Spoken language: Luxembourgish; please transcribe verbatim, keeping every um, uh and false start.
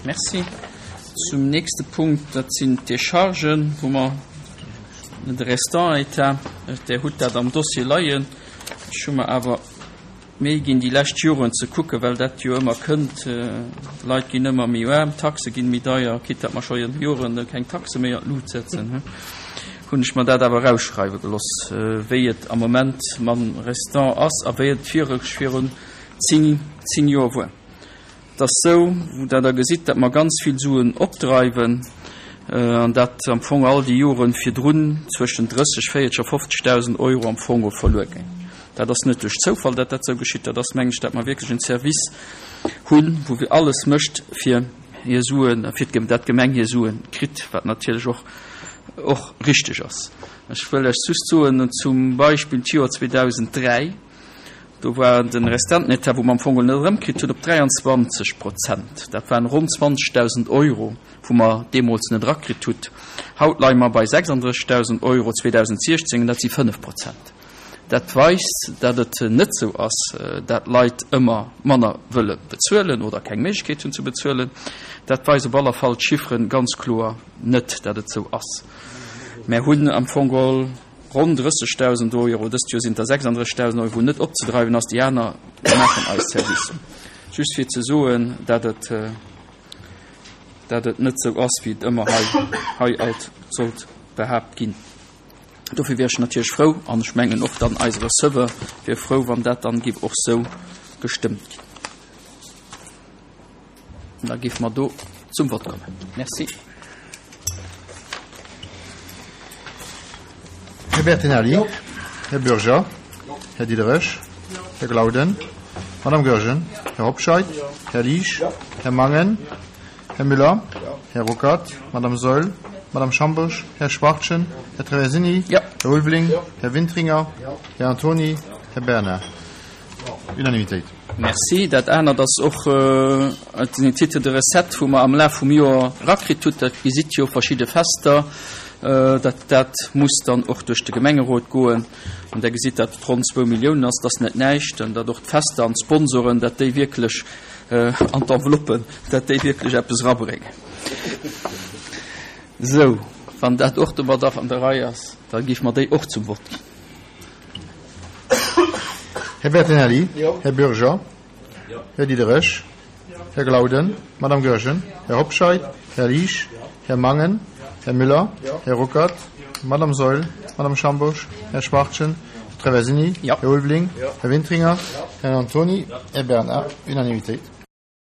Merci. Zum nächste Punkt, dat sinn d'Déchargen, wou mer de Restant-État, Der hutt dat am Dossier leien. Ech hu mer awer Méi ginn déi lescht Joren ze kucken, well dat jo ëmmer kënnt, d'Leit ginn ëmmer méi aarm, d'Taxe ginn méi deier, quitte datt mer scho Joren keng Taxe méi an d'Lut setzen, hunn ech mer dat awer erausschreiwe geloss, wéi et am Moment mam Restant ass a wéi et virun zéng, zéng Joer wuar. Et ass sou, wou Der da gesitt, datt mer ganz vill Suen opdreiwen an dat am Fong all déi Jore virdrun zwëschen drësseg, véierteg a fofzegdausend Euro am Fong verluer géing. Dat ass net duerch Zoufall, dat dat esou geschitt. Dat ass, mengen ech, dat mer wierklech en Service hunn, wou alles mécht, fir hir Suen, fir dat d'Gemeng hir Sue kritt, wat natierlech och, och richteg ass. Ech wëll lech just soen, zum Beispill d'Joer zweedausenddräi, do war de Restantenetat, wou mer am Fong net erëmkritt hunn, op dräianzwanzeg Prozent. Dat waren ronn zwanzegdausend Euro, wou mer deemools net erakritt hutt. Haut leie mer bei sechsanddrëssigdausend Euro zweedausendsechzéng, an dat si fënnef Prozent. Dat weist, dat et net esou ass, dat Leit ëmmer manner wëlle bezuelen oder keng Méiglechkeet hunn ze bezuelen. Dat weist op aller Fall d'Chiffren ganz kloer net, dat et esou ass. Mär hunn am Fong geholl ronn drëssigdausend Euro, dëst Joer sinn et der sechsanddrëssigdausend Euro, wou net opzedreiwen ass. Déi aner maachen eis Service. Just fir ze soen, dat et, dat et net esou ass, wéi et ëmmer hei, hei alt sollt behaapt ginn. Dofir wier ech natierlech frou, an ech mengen och dann eise Receveur wier frou, wann dat dann géif och sou gestëmmt ginn. An da géife mer do zum Vott kommen. Merci. Här Bertinelli. Här Bürger. Här Diderich. Här Glauden. Madame Goergen. Här Hobscheit. Här Liesch. Här Mangen. Här Müller. Här Ruckert. Madame Saeul. Madame Schambourg. Här Schwachtgen. Här Traversini. Ja. Här Ulveling. Här Wintringer. Här Antoni. Här Bernard. Unanimitéit. Merci. Dat anert ass och den Titre de recette, wou mer am Laf vum Joer erakritt hutt. Dat gesitt jo verschidde Fester. Dat, dat muss dann och duerch de Gemengerot goen. An Der gesitt, dat et ronn zwou Milliounen ass. Dat ass net näischt. An datt och d'Fester an d'Sponsoren, dat déi wierklech an d'Enveloppen, dat déi wierklech eppes erabréngen. Sou, wann dat och domadder an der Rei ass, da géife mer déi och zum Vott ginn. Här Bertinelli. Här Bürger. Här Diderich. Här Glauden. Madame Goergen. Här Hobscheit. Här Liesch. Här Mangen. Här Müller. Här Ruckert. Madame Saeul. Madame Schambourg. Här Schwachtgen. Här Traversini. Ja. Här Ulveling. Här Wintringer. Här Antoni. Här Bernard. Unanimitéit.